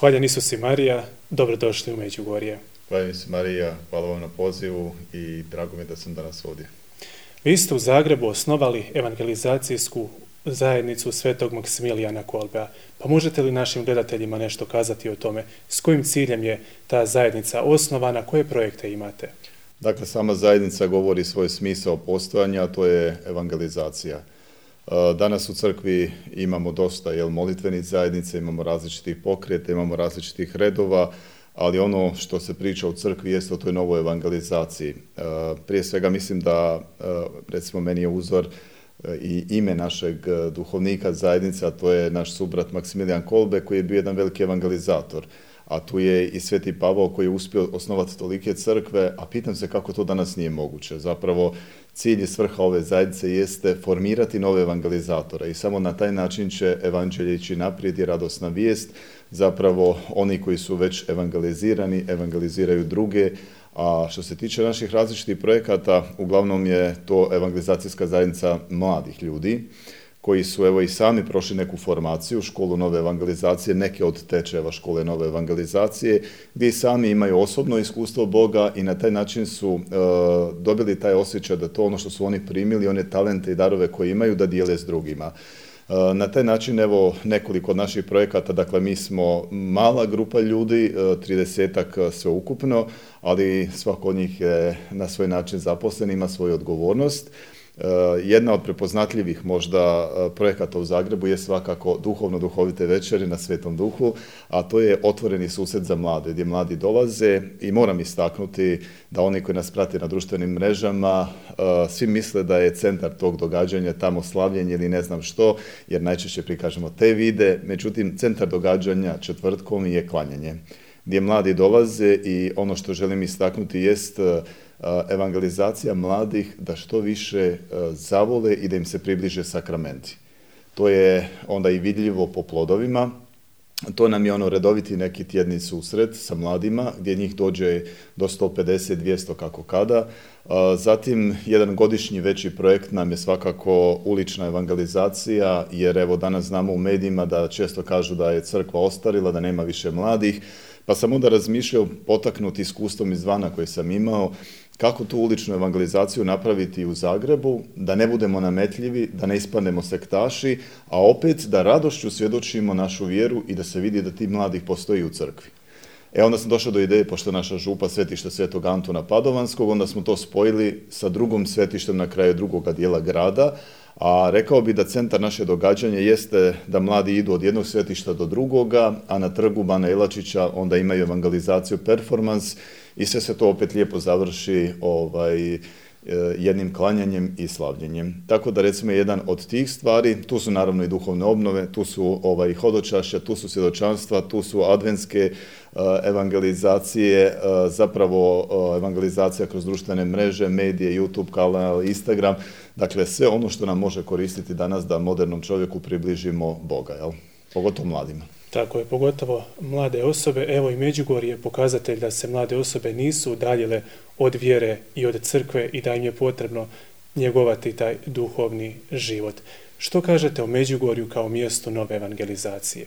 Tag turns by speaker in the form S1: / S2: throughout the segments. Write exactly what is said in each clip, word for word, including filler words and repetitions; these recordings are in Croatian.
S1: Hvaljen Isus i Marija, dobrodošli u Međugorje.
S2: Hvaljen Isus i Marija, hvala vam na pozivu i drago mi da sam danas ovdje.
S1: Vi ste u Zagrebu osnovali evangelizacijsku zajednicu Svetog Maksimilijana Kolbea. Pa možete li našim gledateljima nešto kazati o tome? S kojim ciljem je ta zajednica osnovana? Koje projekte imate?
S2: Dakle, sama zajednica govori svoj smisao postojanja, a to je evangelizacija. Danas u crkvi imamo dosta jel, molitvenih zajednica, imamo različitih pokreta, imamo različitih redova, ali ono što se priča u crkvi jest o toj novoj evangelizaciji. Prije svega mislim da, recimo, meni je uzor i ime našeg duhovnika zajednice, a to je naš subrat Maksimilijan Kolbe, koji je bio jedan veliki evangelizator. A tu je i Sveti Pavao koji je uspio osnovati tolike crkve, a pitam se kako to danas nije moguće. Zapravo, cilj i svrha ove zajednice jeste formirati nove evangelizatore i samo na taj način će evanđelje ići naprijed i radosna vijest. Zapravo, oni koji su već evangelizirani, evangeliziraju druge, a što se tiče naših različitih projekata, uglavnom je to evangelizacijska zajednica mladih ljudi, koji su evo i sami prošli neku formaciju, školu nove evangelizacije, neke od tečajeva škole nove evangelizacije, gdje i sami imaju osobno iskustvo Boga i na taj način su e, dobili taj osjećaj da to ono što su oni primili, one talente i darove koje imaju, da dijele s drugima. E, na taj način, evo, nekoliko od naših projekata, dakle, mi smo mala grupa ljudi, tridesetak sveukupno, ali svako od njih je na svoj način zaposlen, ima svoju odgovornost. Jedna od prepoznatljivih možda projekata u Zagrebu je svakako duhovno-duhovite večeri na Svetom Duhu, a to je otvoreni susret za mlade, gdje mladi dolaze i moram istaknuti da oni koji nas prate na društvenim mrežama, svi misle da je centar tog događanja tamo slavljenje ili ne znam što, jer najčešće prikažemo te vide, međutim centar događanja četvrtkom je klanjanje, gdje mladi dolaze i ono što želim istaknuti jest evangelizacija mladih da što više zavole i da im se približe sakramenti. To je onda i vidljivo po plodovima. To nam je ono redoviti neki tjedni susret sa mladima gdje njih dođe do sto pedeset do dvjesto kako kada. Zatim jedan godišnji veći projekt nam je svakako ulična evangelizacija, jer evo danas znamo u medijima da često kažu da je crkva ostarila, da nema više mladih. Pa sam onda razmišljao, potaknut iskustvom izvana koje sam imao, kako tu uličnu evangelizaciju napraviti u Zagrebu, da ne budemo nametljivi, da ne ispadnemo sektaši, a opet da radošću svjedočimo našu vjeru i da se vidi da ti mladih postoji u crkvi. E onda sam došao do ideje, pošto naša župa svetište Svetog Antuna Padovanskog, onda smo to spojili sa drugom svetištem na kraju drugoga dijela grada, a rekao bi da centar naše događanja jeste da mladi idu od jednog svetišta do drugoga, a na trgu Bana Jelačića onda imaju evangelizaciju performans i sve se to opet lijepo završi ovaj, jednim klanjanjem i slavljenjem. Tako da recimo jedan od tih stvari, tu su naravno i duhovne obnove, tu su ovaj, hodočašća, tu su svjedočanstva, tu su adventske uh, evangelizacije, uh, zapravo uh, evangelizacija kroz društvene mreže, medije, YouTube kanal, Instagram, dakle sve ono što nam može koristiti danas da modernom čovjeku približimo Boga, jel? Pogotovo mladima.
S1: Tako je, pogotovo mlade osobe. Evo i Međugorje je pokazatelj da se mlade osobe nisu udaljile od vjere i od crkve i da im je potrebno njegovati taj duhovni život. Što kažete o Međugorju kao mjestu nove evangelizacije?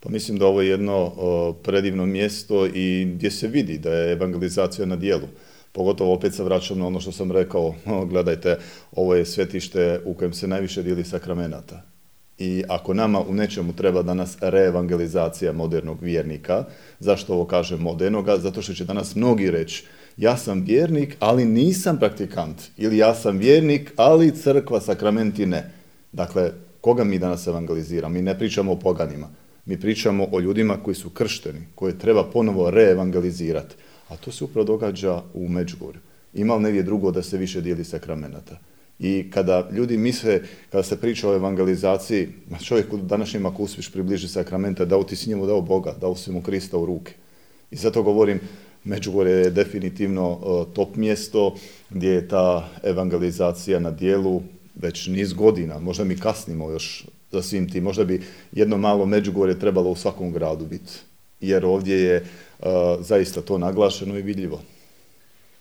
S2: Pa mislim da ovo je jedno o, predivno mjesto i gdje se vidi da je evangelizacija na djelu. Pogotovo opet se vraćam na ono što sam rekao, o, gledajte, ovo je svetište u kojem se najviše dijeli sakramenata. I ako nama u nečemu treba danas reevangelizacija modernog vjernika, zašto ovo kažem modernoga? Zato što će danas mnogi reći, ja sam vjernik, ali nisam praktikant. Ili ja sam vjernik, ali crkva, sakramenti ne. Dakle, koga mi danas evangeliziramo? Mi ne pričamo o poganima. Mi pričamo o ljudima koji su kršteni, koje treba ponovo reevangelizirati. A to se upravo događa u Međugorju. Ima li negdje drugo da se više dijeli sakramenata? I kada ljudi misle, kada se priča o evangelizaciji, čovjek u današnjem ako uspješ približi sakramente, dao ti si njemu dao Boga, dao si mu Krista u ruke. I zato govorim, Međugorje je definitivno uh, top mjesto gdje je ta evangelizacija na dijelu već niz godina, možda mi kasnimo još za svim tim, možda bi jedno malo Međugorje trebalo u svakom gradu biti, jer ovdje je uh, zaista to naglašeno i vidljivo.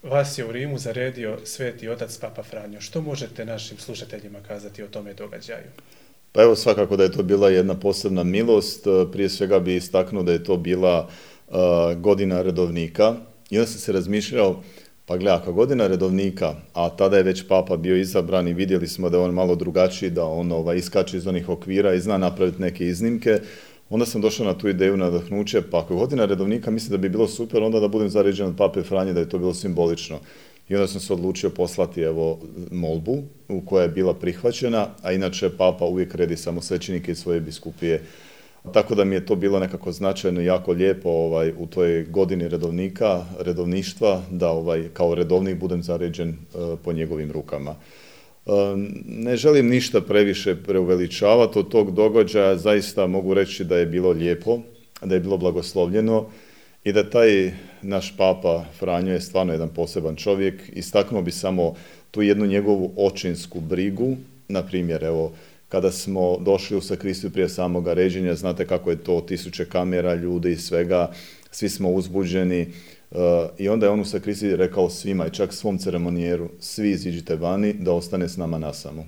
S1: Vas je u Rimu zaredio Sveti Otac Papa Franjo. Što možete našim slušateljima kazati o tome događaju?
S2: Pa evo, svakako da je to bila jedna posebna milost. Prije svega bi istaknuo da je to bila uh, godina redovnika. I onda sam se razmišljao, pa gle, ako godina redovnika, a tada je već papa bio izabran i vidjeli smo da je on malo drugačiji, da on ovaj, iskače iz onih okvira i zna napraviti neke iznimke, onda sam došao na tu ideju nadahnuće, pa ako godina redovnika, mislim da bi bilo super, onda da budem zaređen od pape Franje, da je to bilo simbolično. I onda sam se odlučio poslati evo molbu u koja je bila prihvaćena, a inače papa uvijek redi samo svećenike iz svoje biskupije. Tako da mi je to bilo nekako značajno, jako lijepo ovaj, u toj godini redovnika, redovništva, da ovaj, kao redovnik budem zaređen uh, po njegovim rukama. Uh, ne želim ništa previše preuveličavati od tog događaja, zaista mogu reći da je bilo lijepo, da je bilo blagoslovljeno i da taj naš papa Franjo je stvarno jedan poseban čovjek. Istaknuo bi samo tu jednu njegovu očinsku brigu, na primjer, evo, kada smo došli u sakristiju prije samoga ređenja, znate kako je to, tisuće kamera, ljudi i svega, svi smo uzbuđeni uh, i onda je on u sakristiji rekao svima i čak svom ceremonijeru, svi iziđite vani da ostane s nama nasamo.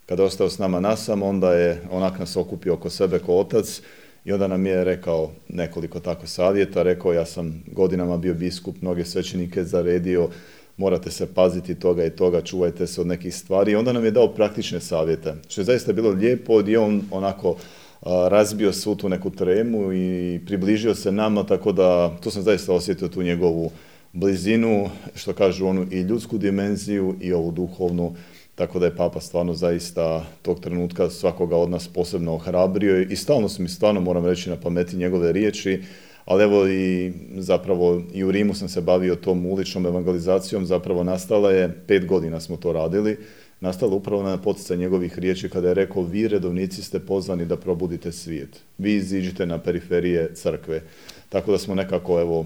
S2: Kada je ostao s nama nasamo, onda je onak nas okupio oko sebe ko otac i onda nam je rekao nekoliko tako savjeta, rekao ja sam godinama bio biskup, mnoge svećenike zaredio, morate se paziti toga i toga, čuvajte se od nekih stvari. I onda nam je dao praktične savjete, što je zaista bilo lijepo, gdje on onako a, razbio svu tu neku tremu i približio se nama, tako da tu sam zaista osjetio tu njegovu blizinu, što kažu onu i ljudsku dimenziju i ovu duhovnu, tako da je papa stvarno zaista tog trenutka svakoga od nas posebno ohrabrio i stalno su mi stvarno, moram reći, na pameti njegove riječi. Ali evo i zapravo i u Rimu sam se bavio tom uličnom evangelizacijom, zapravo nastala je, pet godina smo to radili, nastala upravo na poticaj njegovih riječi kada je rekao vi redovnici ste pozvani da probudite svijet, vi iziđite na periferije crkve. Tako da smo nekako evo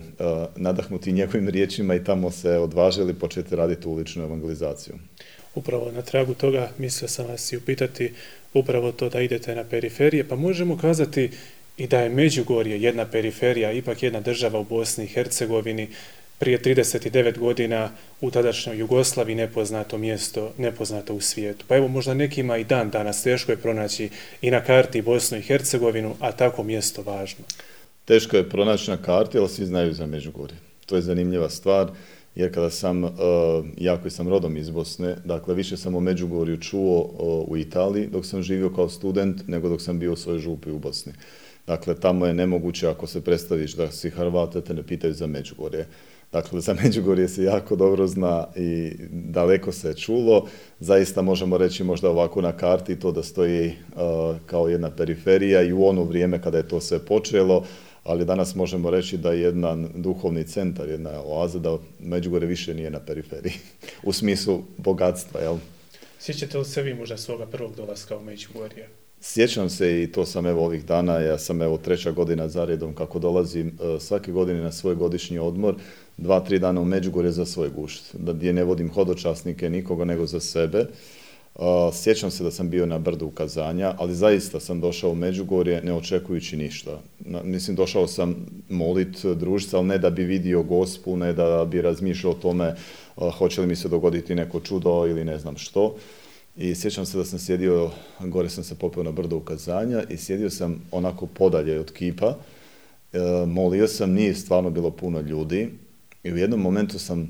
S2: nadahnuti njegovim riječima i tamo se odvažili početi raditi uličnu evangelizaciju.
S1: Upravo na tragu toga mislio sam vas i upitati upravo to da idete na periferije, pa možemo kazati i da je Međugorje jedna periferija, ipak jedna država u Bosni i Hercegovini, prije trideset devet godina u tadašnjoj Jugoslaviji nepoznato mjesto, nepoznato u svijetu. Pa evo možda nekima i dan danas teško je pronaći i na karti Bosnu i Hercegovinu, a tako mjesto važno.
S2: Teško je pronaći na karti, ali svi znaju za Međugorje. To je zanimljiva stvar, jer kada sam, uh, ja koji sam rodom iz Bosne, dakle više sam o Međugorju čuo uh, u Italiji dok sam živio kao student, nego dok sam bio u svojoj župi u Bosni. Dakle, tamo je nemoguće ako se predstaviš da si Hrvat, da te ne pitaju za Međugorje. Dakle, za Međugorje se jako dobro zna i daleko se čulo. Zaista možemo reći možda ovako na karti to da stoji uh, kao jedna periferija i u ono vrijeme kada je to sve počelo, ali danas možemo reći da je jedan duhovni centar, jedna oaza, da Međugorje više nije na periferiji, u smislu bogatstva, jel?
S1: Sjećate li se vi možda svoga prvog dolaska u Međugorje?
S2: Sjećam se i to sam evo ovih dana, ja sam evo treća godina za redom kako dolazim uh, svake godine na svoj godišnji odmor, dva, tri dana u Međugorje za svoj gušt, da gdje ne vodim hodočasnike nikoga nego za sebe. Uh, sjećam se da sam bio na brdu ukazanja, ali zaista sam došao u Međugorje ne očekujući ništa. Na, mislim, došao sam molit, družiti, ali ne da bi vidio Gospu, ne da bi razmišljao o tome uh, hoće li mi se dogoditi neko čudo ili ne znam što. I sjećam se da sam sjedio, gore sam se popeo na brdo ukazanja i sjedio sam onako podalje od kipa, e, molio sam, nije stvarno bilo puno ljudi i u jednom momentu sam, e,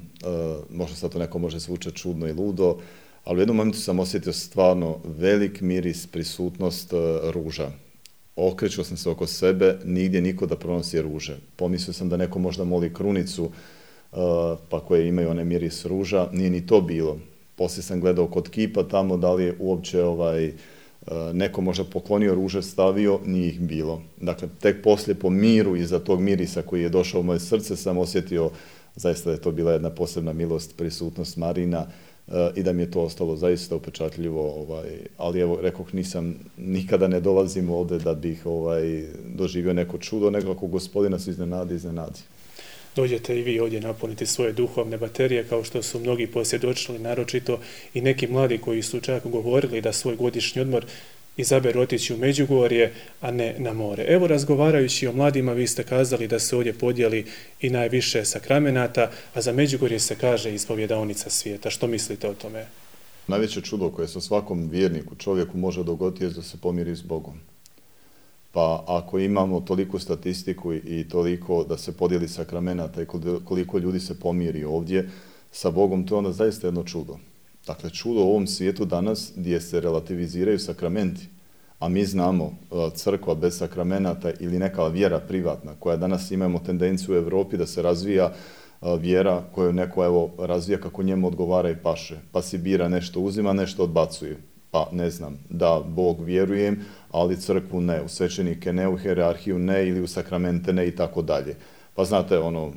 S2: možda sad to neko može zvučati čudno i ludo, ali u jednom momentu sam osjetio stvarno velik miris, prisutnost e, ruža. Okrećuo sam se oko sebe, nigdje niko da pronosi ruže. Pomislio sam da neko možda moli krunicu, e, pa koje imaju onaj miris ruža, nije ni to bilo. Poslije sam gledao kod kipa tamo da li je uopće ovaj, neko možda poklonio ruže, stavio, nije ih bilo. Dakle, tek poslije po miru iza tog mirisa koji je došao u moje srce sam osjetio zaista da je to bila jedna posebna milost, prisutnost Marina i da mi je to ostalo zaista upečatljivo. Ovaj, ali evo, rekoh, nisam, nikada ne dolazim ovdje da bih ovaj, doživio neko čudo, nego ako Gospodina se iznenadi, iznenadi.
S1: Dođete i vi ovdje napuniti svoje duhovne baterije, kao što su mnogi posvjedočili, naročito i neki mladi koji su čak govorili da svoj godišnji odmor izaberu otići u Međugorje, a ne na more. Evo, razgovarajući o mladima, vi ste kazali da se ovdje podijeli i najviše sakramenata, a za Međugorje se kaže ispovjedaonica svijeta. Što mislite o tome?
S2: Najveće čudo koje se svakom vjerniku, čovjeku može dogoditi je da se pomiri s Bogom. Pa ako imamo toliku statistiku i toliko da se podijeli sakramenata i koliko ljudi se pomiri ovdje sa Bogom, to je onda zaista jedno čudo. Dakle, čudo u ovom svijetu danas gdje se relativiziraju sakramenti, a mi znamo crkva bez sakramenata ili neka vjera privatna koja danas imamo tendenciju u Europi da se razvija vjera koju neko evo razvija kako njemu odgovara i paše, pa si bira nešto, uzima nešto, odbacuje. Pa ne znam, da Bog vjerujem, ali crkvu ne, u svećenike ne, u hijerarhiju ne ili u sakramente ne i tako dalje. Pa znate, ono,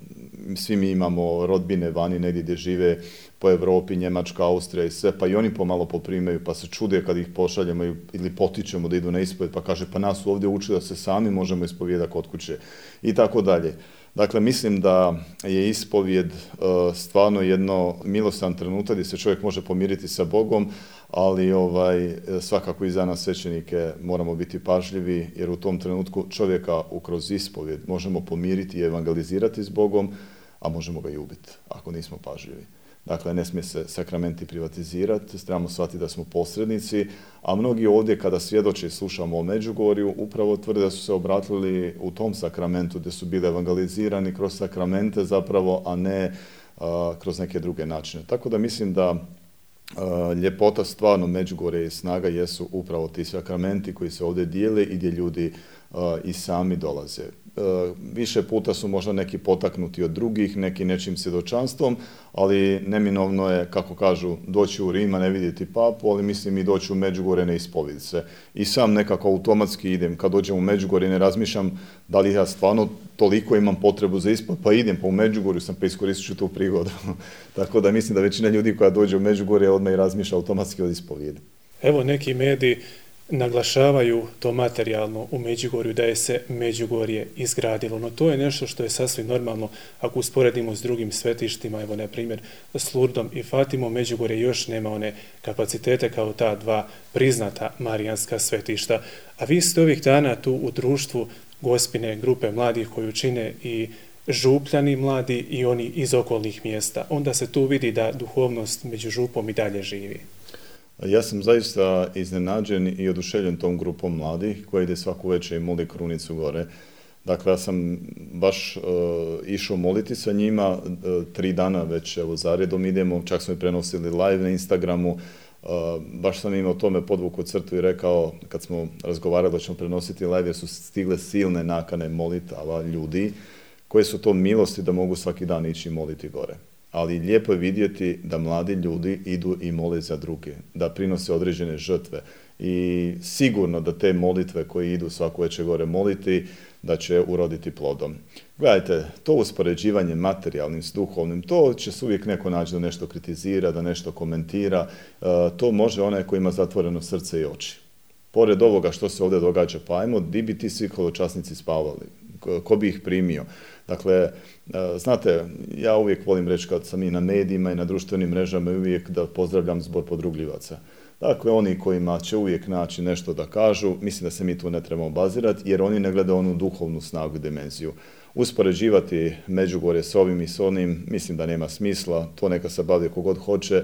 S2: svi mi imamo rodbine vani negdje gdje žive po Europi, Njemačka, Austrija i sve, pa i oni pomalo poprimaju, pa se čude kad ih pošaljemo ili potičemo da idu na ispovjed, pa kaže, pa nas ovdje uči da se sami možemo ispovijedati kod kuće i tako dalje. Dakle, mislim da je ispovjed uh, stvarno jedno milostan trenutak gdje se čovjek može pomiriti sa Bogom, ali ovaj, svakako i za nas svećenike moramo biti pažljivi, jer u tom trenutku čovjeka kroz ispovjed možemo pomiriti i evangelizirati s Bogom, a možemo ga i ubiti ako nismo pažljivi. Dakle, ne smije se sakramenti privatizirati, trebamo shvatiti da smo posrednici, a mnogi ovdje kada svjedoče i slušamo o Međugorju, upravo tvrde da su se obratili u tom sakramentu gdje su bili evangelizirani kroz sakramente zapravo, a ne a, kroz neke druge načine. Tako da mislim da a, ljepota stvarno Međugorje i snaga jesu upravo ti sakramenti koji se ovdje dijele i gdje ljudi a, i sami dolaze. Više puta su možda neki potaknuti od drugih, neki nečim svjedočanstvom, ali neminovno je, kako kažu, doći u Rim, a ne vidjeti papu, ali mislim i doći u Međugorje ne ispovjediti se. I sam nekako automatski idem, kad dođem u Međugorje ne razmišljam da li ja stvarno toliko imam potrebu za ispovjed, pa idem, pa u Međugorju sam, pa iskoristit ću tu prigodu. Tako da mislim da većina ljudi koja dođe u Međugorje odmah i razmišlja automatski od ispovjedi.
S1: Evo neki mediji naglašavaju to materijalno u Međugorju, da je se Međugorje izgradilo. No to je nešto što je sasvim normalno ako usporedimo s drugim svetištima, evo na primjer s Lurdom i Fatimom, Međugorje još nema one kapacitete kao ta dva priznata marijanska svetišta. A vi ste ovih dana tu u društvu Gospine grupe mladih koju čine i župljani mladi i oni iz okolnih mjesta. Onda se tu vidi da duhovnost među župom i dalje živi.
S2: Ja sam zaista iznenađen i oduševljen tom grupom mladih koja ide svaku večer i moli krunicu gore. Dakle, ja sam baš uh, išao moliti sa njima, uh, tri dana već evo zaredom idemo, čak smo i prenosili live na Instagramu, uh, baš sam imao tome podvuku crtu i rekao, kad smo razgovarali da ćemo prenositi live, jer su stigle silne nakane molitava ljudi, koje su to milosti da mogu svaki dan ići moliti gore. Ali lijepo je vidjeti da mladi ljudi idu i mole za druge, da prinose određene žrtve i sigurno da te molitve koje idu svako večer gore moliti, da će uroditi plodom. Gledajte, to uspoređivanje materijalnim s duhovnim, to će se uvijek neko naći da nešto kritizira, da nešto komentira, to može onaj koji ima zatvoreno srce i oči. Pored ovoga što se ovdje događa, pa ajmo, di bi ti svi hodočasnici spavali? Ko bi ih primio? Dakle, znate, ja uvijek volim reći kad sam i na medijima i na društvenim mrežama uvijek da pozdravljam zbor podrugljivaca. Dakle, oni kojima će uvijek naći nešto da kažu, mislim da se mi tu ne trebamo obazirati jer oni ne gledaju onu duhovnu snagu i dimenziju. Uspoređivati Međugorje s ovim i s onim, mislim da nema smisla, to neka se bavi kogod hoće,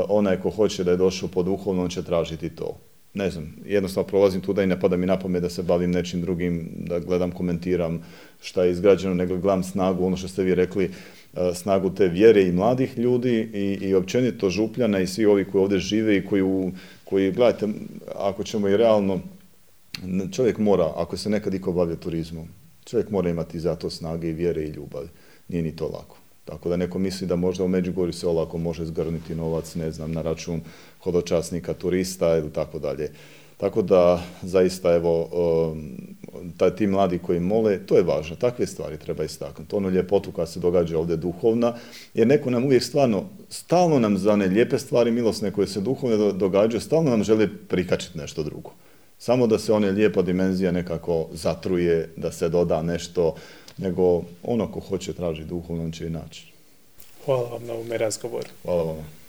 S2: onaj ko hoće da je došao po duhovno, on će tražiti to. Ne znam, jednostavno prolazim tuda i ne pada mi na pamet da se bavim nečim drugim, da gledam, komentiram šta je izgrađeno, nego gledam snagu, ono što ste vi rekli, snagu te vjere i mladih ljudi i, i općenito župljana i svi ovi koji ovdje žive i koji, u, koji, gledajte, ako ćemo i realno, čovjek mora, ako se nekad iko bavio turizmom, čovjek mora imati za to snage i vjere i ljubav. Nije ni to lako. Tako da neko misli da možda u Međugorju se olako može zgrniti novac, ne znam, na račun hodočasnika, turista ili tako dalje. Tako da, zaista, evo, taj, ti mladi koji mole, to je važno, takve stvari treba istaknuti. Ono ljepotu koja se događa ovdje duhovna, jer neko nam uvijek stvarno, stalno nam za one lijepe stvari, milosne koje se duhovne događaju, stalno nam želi prikačiti nešto drugo. Samo da se one lijepa dimenzija nekako zatruje, da se doda nešto, nego ono ko hoće traži duhovno, on će i naći.
S1: Hvala vam na ovome razgovoru.
S2: Hvala vam.